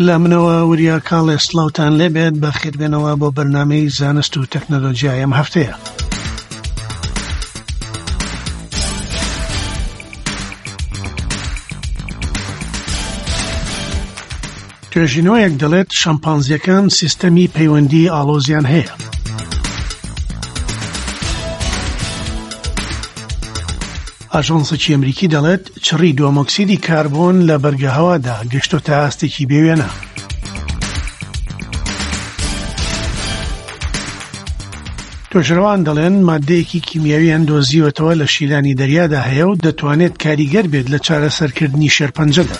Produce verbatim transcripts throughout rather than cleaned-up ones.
لە منەوە وریا کاڵێ سڵاوتان لێبێت، بەخێربێنەوە بۆ بەرنامەی زانست و تەکنەلۆژیای ئەم هەفتەیە. توێژینەوەیەک دەڵێت شەمپانزیەکان سیستەمی پەیوەندی ئاڵۆزیان هەیە. ئاژانسێکی ئەمریکی دەڵێت چڕی دووەمۆکسیدی کاربۆن لە بەرگەهەوادا گەشتۆتە ئاستێکی بێوێنە. توێژەرەوان دەڵێن مادەیەکی کیمیاویان دۆزیوەتەوە لە شیلانی دەریادا هەیە و دەتوانێت کاریگەر بێت لە چارەسەرکردنی شێرپەنجەدا.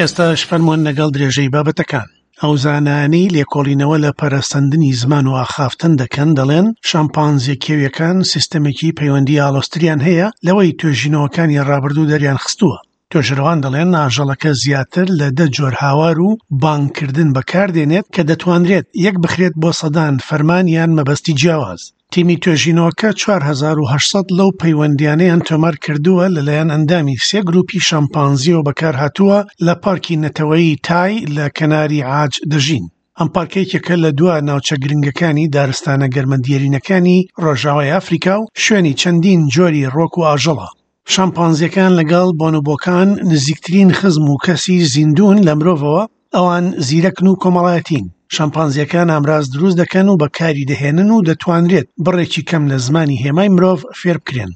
ئێستاش فەرموون لەگەڵ درێژەی بابەتەکان. ئەو زانایانەی لێکۆڵینەوە لە پەرەسەندنی زمان و ئاخافتن دەکەن دەڵێن شەمپانزیە کێویەکان سیستەمێکی پەیوەندی ئاڵۆزتریان هەیە لەوەی توێژینەوەکانی ڕابردوو دەریان خستووە. توێژەرەوان دەڵێن ئاژەڵەکە زیاتر لە دە جۆر هاوار و بانگکردن بەکاردێنێت کە دەتوانرێت یەک بخرێت بۆ سەدان فەرمان یان مەبەستی جیاواز. تیمی توێژینەوەکە چوار هەزار و هەشت سەد لەو پەیوەندیانەیان تۆمار کردووە لەلایەن ئەندامی سێ گروپی شەمپانزیەوە بەکارهاتووە لە پارکی نەتەوەیی تای لە کەناری عاج دەژین. ئەم پارکە یەکێکە لە دوا ناوچە گرنگەکانی دارستانە گەرمەدیێرینەکانی ڕۆژاوای ئەفریکا و شوێنی چەندین جۆری ڕۆک و ئاژەڵە. شەمپانزیەکان لەگەڵ بۆنۆبۆکان نزیکترین خزم و کەسی زیندوون لە مرۆڤەوە، ئەوان زیرەکن و کۆمەڵایەتین. شەمپانزیەکان ئامراز دروست دەکەن و بەکاری دەهێنن و دەتوانرێت بڕێکی کەم لە زمانی هێمای مرۆڤ فێر بکرێن.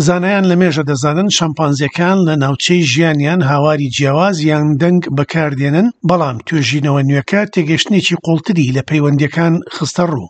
زانایان لە مێژە دەزانن شەمپانزیەکان لە ناوچەی ژیانیان هاواری جیاواز یان دەنگ بەکاردێنن، بەڵام توێژینەوە نوێکە تێگەشتنێکی قوڵتری لە پەیوەندیەکان خستە ڕوو.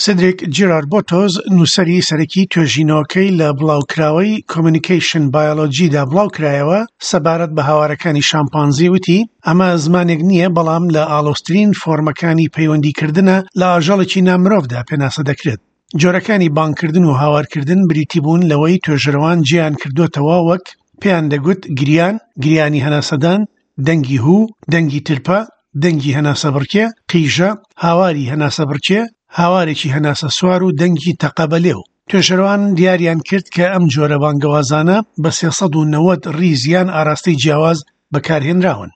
سدریک جیرارد بۆتۆز نووسەری سەرەکی توێژینەوەکەی لە بڵاوکراوەی کۆمیونیکەیشن بایۆلۆجیدا بڵاوکرایەوە سەبارەت بە هاوارەکانی شامپانزی وتی ئەمە زمانێک نییە، بەڵام لە ئاڵۆزترین فۆرمەکانی پەیوەندیکردنە لە ئاژەڵێکی نامرۆڤدا پێناسە دەکرێت. جۆرەکانی بانگکردن و هاوارکردن بریتی بوون لەوەی توێژەرەوان جیان کردوتەوە وەک پێیان دەگوت گریان، گریانی هەناسەدان، دەنگی هوو، دەنگی ترپە، دەنگی هەناسەبڕکێ، قیژە، هاواری هەناسەبڕکێ، هاوارێکی هەناسە سوار و دەنگی تەقەبەلێو. توێژەرەوان دیاریان کرد کە ئەم جۆرە بانگەوازانە بە سێ سەد و نەوەد ڕیز یان ئاراستەی جیاواز بەکارهێنراون.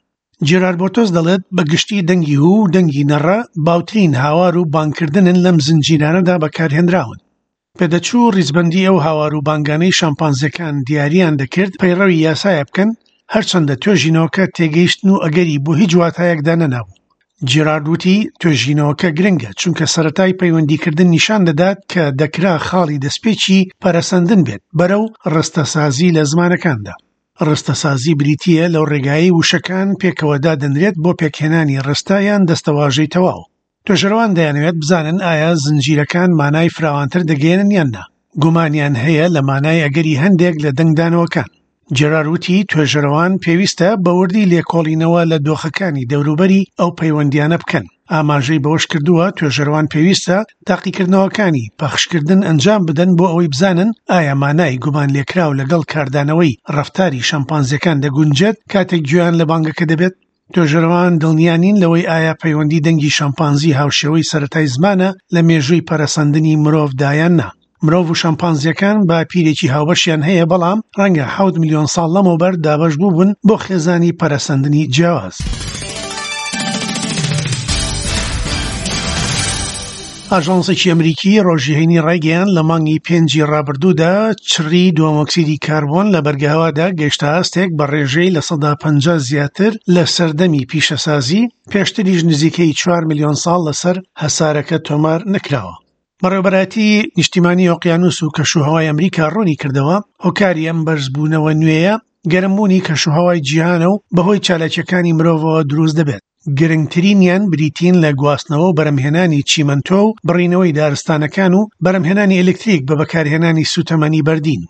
جێرارد بۆتۆس دەڵێت بە گشتی دەنگی هوو و دەنگی نەڕە باوترین هاوار و بانگکردنن لەم زنجیرانەدا بەکارهێنراون. پێدەچوو ڕیزبەندی ئەو هاوار و بانگانەی شامپانزیەکان دیاریان دەکرد پەیڕەوی یاسایە بکەن، هەرچەندە توێژینەوەکە تێگەیشتن و ئەگەری بۆ هیچ واتایەکدا نەنابوو. جێرارد وتی توێژینەوەکە گرنگە چونکە سەرەتای پەیوەندیکردن نیشان دەدات کە دەکرا خاڵی دەستپێکی پەرەسەندن بێت بەرەو ڕستەسازی لە زمانەکاندا. ڕستەسازی بریتییە لەو ڕێگایەی وشەکان پێکەوە دادەنرێت بۆ پێکهێنانی ڕستە یان دەستەواژەی تەواو. توێژەرەوان دەیانەوێت بزانن ئایا زنجیرەکان مانای فراوانتر دەگەیەنن یان نا. گومانیان هەیە لە مانای ئەگەری هەندێک لە دەنگدانەوەکان. جێرارد وتی توێژەرەوان پێویستە بەوردی لێکۆڵینەوە لە دۆخەکانی دەوروبەری ئەو پەیوەندیانە بکەن. ئاماژەی بەوەش کردووە توێژەرەوان پێویستە تاقیکردنەوەکانی پەخشکردن ئەنجام بدەن بۆ ئەوەی بزانن ئایا مانای گومان لێکراو لەگەڵ کاردانەوەی ڕەفتاری شەمپانزیەکان دەگونجێت کاتێک گوێیان لە بانگەکە دەبێت. توێژەرەوان دڵنیا نین لەوەی ئایا پەیوەندی دەنگی شەمپانزی هاوشێوەی سەرەتای زمانە لە مێژووی پەرەسەندنی مرۆڤدا یان نا. مرۆڤ و شەمپانزیەکان بە پیرێکی هاوبەشیان هەیە، بەڵام ڕەنگە حەوت ملیۆن ساڵ لەمەوبەر دابەش بووبن بۆ خێزانی پەرەسەندنی جیاواز. ئاژانسێکی ئەمریکی ڕۆژی هەینی ڕایگەیاند لە مانگی پێنجی ڕابردوودا چڕی دووەمۆکسیدی کاربۆن لە بەرگەهەوادا گەیشتە ئاستێک بە ڕێژەی لە سەدا پەنجا زیاتر لە سەردەمی پیشەسازی، پێشتریش نزیکەی چوار ملیۆن ساڵ لەسەر هەسارەکە تۆمار نەکراوە. بەڕێوەبەرایەتی نیشتیمانی ئۆقیانوس و کەشوهەوای ئەمریکا ڕوونی کردەوە هۆکاری ئەم بەرزبوونەوە نوێیە گەرمبوونی کەشوهەوای جیهانە و بەهۆی چالاکیەکانی مرۆڤەوە دروست دەبێت. گرنگترینیان بریتین لە گواستنەوە و بەرەمهێنانی چیمەنتۆ و بڕینەوەی دارستانەکان و بەرەمهێنانی ئەلکتریک بە بەکارهێنانی سوتەمەنی بەردین.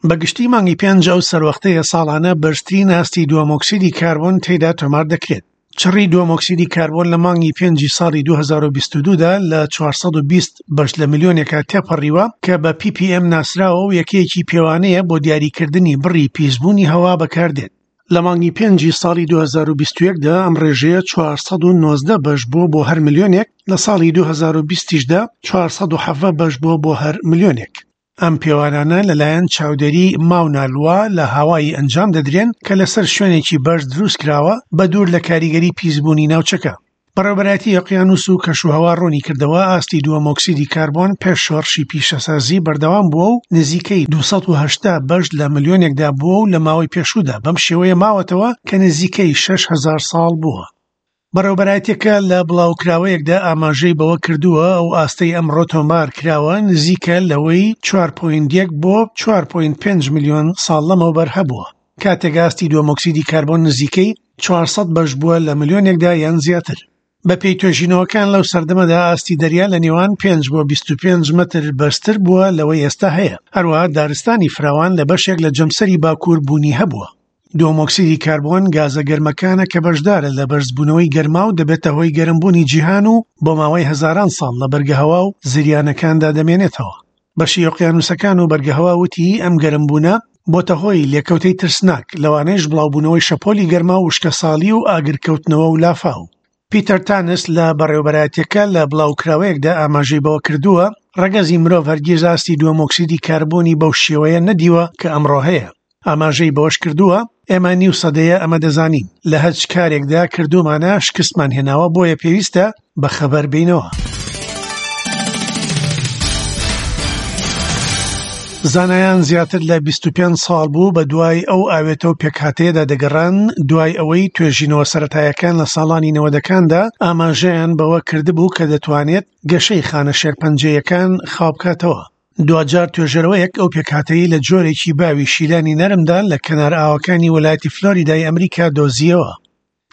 بەگشتی مانگی پێنج ئەو سەروەختەیە ساڵانە بەرزترین ئاستی دووەمۆکسیدی کاربۆن تێدا تۆمار دەکرێت. چڕی دووەمۆکسیدی کاربۆن لە مانگی پێنجی ساڵی دوو هەزار و بیست و دوو دا لە چوار سەد و بیست بەش لە ملیۆنێکا تێپەڕیوە کە بە پی پی ئێم ناسراوە و یەکەیەکی پێوانەیە بۆ دیاریکردنی بڕی پیسبوونی هەوا بەکاردێت. لە مانگی پێنجی ساڵی دوو هەزار و بیست و یەک دا ئەم ڕێژەیە چوار سەد و نۆزدە بەش بووە بۆ هەر ملیۆنێک، لە ساڵی دوو هەزار و بیست دا چوار سەد و حەڤدە بەش بووە بۆ هەر ملیۆنێک. ئەم پێوانانە لەلایەن چاودێری ماونا لوا لە هاوایی ئەنجام دەدرێن کە لەسەر شوێنێکی بەرز دروست کراوە بە دوور لە کاریگەری پیسبوونی ناوچەکە. بەڕێوەبەرایەتی ئۆقیانوس و کەشوهەوا ڕوونی کردەوە ئاستی دووەم ئۆکسیدی کاربۆن پێش شۆڕشی پیشەسازی بەردەوام بووە و نزیکەی دوو سەد و هەشتا بەش لە ملیۆنێکدا بووە و لە ماوەی پێشوودا بەم شێوەیە ماوەتەوە کە نزیکەی شەش هەزار ساڵ بووە. بەڕێوەبەرایەتیەکە لە بڵاوکراوەیەکدا ئاماژەی بەوە کردووە ئەو ئاستەی ئەمڕۆ تۆمار کراوە نزیکە لەوەی چوار پۆینت یەک بۆ چوار پۆینت پێنج ملیۆن ساڵ لەمەوبەر هەبووە، کاتێک ئاستی دووەم ئۆکسیدی کاربۆن نزیکەی چوار سەد بەش بووە لە ملیۆنێکدا یان زیاتر. بەپێی توێژینەوەکان لەو سەردەمەدا ئاستی دەریا لە نێوان پێنج بۆ بیست و پێنج مەتر بەرزتر بووە لەوەی ئێستا هەیە. هەروەها دارستانی فراوان لە بەشێک لە جەمسەری باکوور بوونی هەبووە. دووەم ئۆکسیدی کاربۆن گازە گەرمەکانە کە بەشدارە لە بەرزبوونەوەی گەرما و دەبێتە هۆی گەرمبوونی جیهان و بۆ ماوەی هەزاران ساڵ لە بەرگەهەوا و زریانەکاندا دەمێنێتەوە. بەشی ئۆقیانوسەکان و بەرگەهەوا وتی ئەم گەرمبوونە بۆتە هۆی لێکەوتەی ترسناک، لەوانەیش بڵاوبوونەوەی شەپۆلی گەرما و وشکەساڵی و ئاگرکەوتنەوە و لافاو. پیتەر تانس لە بەڕێوەبەرایەتیەکە لە بڵاوکراوەیەکدا ئاماژەی بەوە کردووە ڕەگەزی مرۆڤ هەرگیز ئاستی دووەم ئۆکسیدی کاربۆنی بەو شێوەیە نەدیوە کە ئەمڕۆ هەیە. ئاماژەی بەوەش کردووە ئێمە نیو سەدەیە ئەمە دەزانین، لە هەچ کارێکدا کردومانە شکستمان هێناوە، بۆیە پێویستە بەخەبەر بینەوە. زانایان زیاتر لە بیست و پێنج ساڵ بوو بە دوای ئەو ئاوێتە و پێکهاتەیەدا دەگەڕان، دوای ئەوەی توێژینەوە سەرەتایەکان لە ساڵانی نەوەدەکاندا ئاماژەیان بەوە کردبوو کە دەتوانێت گەشەی خانە شێرپەنجەیەکان خاو بکاتەوە. دواجار توێژەرەوەیەک ئەو پێکهاتەی لە جۆرێکی باوی شیلانی نەرمدا لە کەنار ئاوەکانی وڵاتی فلۆریدای ئەمریکا دۆزیەوە.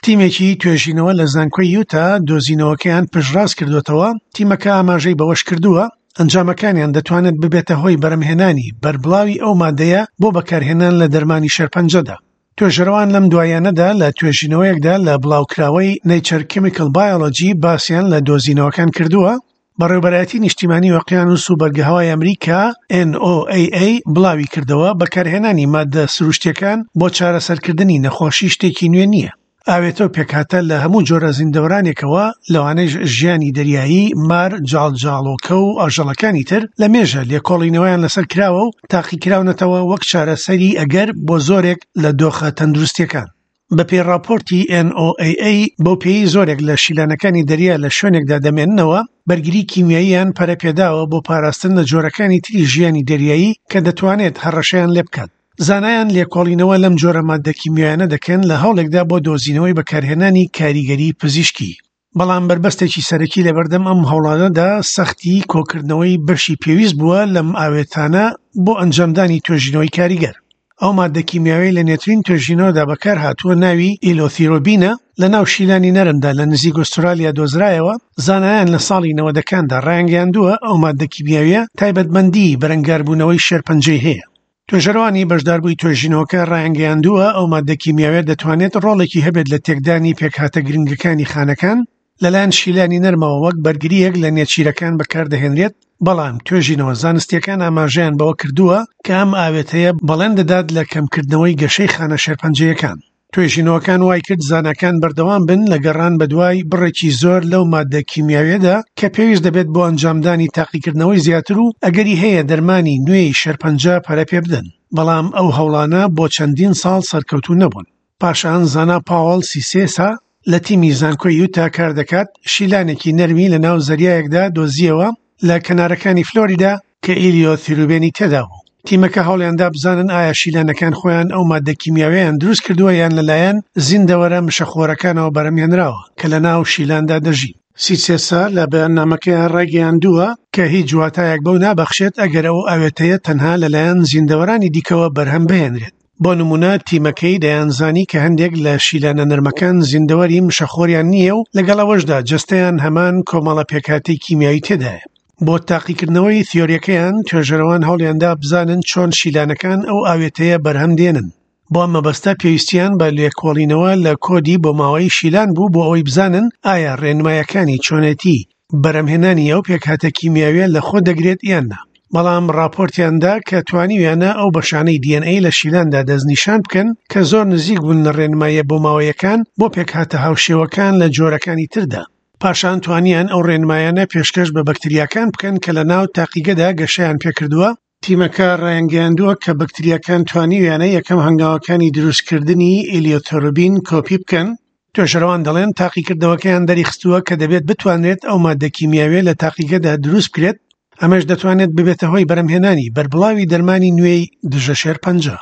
تیمێکی توێژینەوە لە زانکۆی یوتا دۆزینەوەکەیان پشتڕاست کردوێتەوە. تیمەکە ئاماژەی بەوەش کردووە ئەنجامەکانیان دەتوانێت ببێتە هۆی بەرەمهێنانی بەربڵاوی ئەو مادەیە بۆ بەکارهێنان لە دەرمانی شێرپەنجەدا. توێژەرەوان لەم دوایانەدا لە توێژینەوەیەکدا لە بڵاوکراوەی Nature Chemical Biology باسیان لە دۆزینەوەکان کردووە. بەڕێوەبەرایەتی نیشتیمانی ئۆقیانوس و بەرگەهەوای ئەمریکا N O A A بڵاوی کردەوە بەکارهێنانی مادە سروشتیەکان بۆ چارەسەرکردنی نەخۆشی شتێکی نوێ نییە. ئاوێتە و پێکهاتە لە هەموو جۆرە زیندەوەرانێکەوە، لەوانەیش ژیانی دەریایی، مار، جاڵجاڵۆکە و ئاژەڵەکانی تر لە مێژە لێکۆڵینەوەیان لەسەر کراوە و تاقیکراونەتەوە وەک چارەسەری ئەگەر بۆ زۆرێک لە دۆخە تەندروستیەکان. بەپێی ڕاپۆرتی N O A A بەو پێی زۆرێک لە شیلانەکانی دەریا لە شوێنێکدا دەمێننەوە، بەرگری کیمیاییان پەرەپێداوە بۆ پاراستن لە جۆرەکانی تری ژیانی دەریایی کە دەتوانێت هەڕەشەیان لێ بکات. زانایان لێکۆڵینەوە لەم جۆرە مادە کیمیایانە دەکەن لە هەوڵێکدا بۆ دۆزینەوەی بەکارهێنانی کاریگەری پزیشکی. بەڵام بەربەستێکی سەرەکی لەبەردەم ئەم هەوڵانەدا سەختی کۆکردنەوەی بەشی پێویست بووە لەم ئاوێتانە بۆ ئەنجامدانی توێژینەوەی کاریگەر. ئەو مادە کیمیاوی لە نوێترین توێژینەوەدا بەکار هاتووە ناوی ئیلۆثیرۆبینە لە ناو شیلانی نەرمدا لە نزیک ئوسترالیا دۆزرایەوە. زانایان لە ساڵی نەوەدەکاندا ڕایانگەیاندووە ئەو مادە کیمیاویە تایبەتمەندی بەرەنگاربوونەوەی شێرپەنجەی هەیە. توێژەرەوانی بەشداربووی توێژینەوەکە ڕایانگەیاندووە ئەو مادە کیمیاویە دەتوانێت ڕۆڵێکی هەبێت لە تێکدانی پێکهاتە گرنگەکانی خانەکان لەلایەن شیلانی نەرمەوە وەک بەرگریەک لە نێچیرەکان بەکاردەهێنرێت. بەڵام توێژینەوە زانستیەکان ئاماژەیان بەوە کردووە کە ئەم ئاوێتەیە بەڵێن دەدات لە کەمکردنەوەی گەشەی خانە شێرپەنجەیەکان. توێژینەوەکان وای کرد زاناکان بەردەوام بن لە گەڕان بەدوای بڕێکی زۆر لەو مادە کیمیاویەدا کە پێویست دەبێت بۆ ئەنجامدانی تاقیکردنەوەی زیاتر و ئەگەری هەیە دەرمانی نوێی شێرپەنجە پەرە پێ بدەن. بەڵام ئەو هەوڵانە بۆ چەندین ساڵ سەرکەوتوو نەبوون. پاشان زانا پاوڵ سیسێسا لە تیمی زانکۆی یوتا کار دەکات شیلانێکی نەرمی لە ناو زەریایەکدا دۆزیەوە لە کەنارەکانی فلۆریدا کە ئیلیۆثیرۆبینی تێدا بوو. تیمەکە هەوڵیاندا بزانن ئایا شیلانەکان خۆیان ئەو مادە کیمیاویان دروست کردووە یان لەلایەن زیندەوەرە مشەخۆرەکانەوە بەرەمهێنراوە کە لە ناو شیلاندا دەژین. سیسێسا لە بەیاننامەکەیان ڕایگەیاندووە کە هیچ واتایەک بەو نابەخشێت ئەگەر ئەو ئاوێتەیە تەنها لەلایەن زیندەوەرانی دیکەوە بەرهەم بهێنرێت. بۆ نمونە تیمەکەی دەیانزانی کە هەندێک لە شیلانە نەرمەکان زیندەوەری مشەخۆریان نییە و لەگەڵ ئەوەشدا جەستەیان هەمان کۆمەڵە پێکهاتەی کیمیایی تێدایە. بۆ تاقیکردنەوەی تیۆریەکەیان توێژەرەوان هەوڵیاندا بزانن چۆن شیلانەکان ئەو ئاوێتەیە بەرهەم دێنن. بۆ ئەم مەبەستە پێویستیان بە لێکۆڵینەوە لە کۆدی بۆ ماوەی شیلان بوو بۆ ئەوەی بزانن ئایا ڕێنمایەکانی چۆنێتی بەرەمهێنانی ئەو پێکهاتە کیمیاویە لە خۆ دەگرێت یان نا. بەڵام راپۆرتیاندا کە توانیویانە ئەو بەشانەی دی ئێن ئەی لە شیلاندا دەستنیشان بکەن کە زۆر نزیک بوون لە ڕێنماییە بۆماوەیەکان بۆ پێکهاتە هاوشێوەکان لە جۆرەکانی تردا. پاشان توانیان ئەو ڕێنمایانە پێشکەش بە بەکتریاکان بکەن کە لە ناو تاقیگەدا گەشەیان پێکردووە تیمەکە ڕایانگەیاندووە کە بەکتریاکان توانیویانە یەکەم هەنگاوەکانی دروستکردنی ئێلیۆتۆربین کۆپی بکەن. توێژەرەوان دەڵێن تاقیکردنەوەکەیان دەریخستووە کە دەبێت بتوانرێت ئەو مادە کیمیاویە لە تاقیگەدا دروست بکرێت، ئەمەش دەتوانێت ببێتە هۆی بەرهەمهێنانی بەربڵاوی دەرمانی نوێی دژە شێرپەنجە.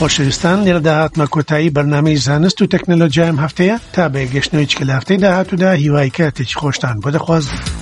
خۆشەویستان، لێرەدا هاتمە کۆتایی بەرنامەی زانست و تەکنەلۆژیایم هەفتەیە. تا بە یەکگەشتنەوەی چکە لە هەفتەی داهاتوودا هیوای کاتێکی خۆشتان بۆ دەخوازم.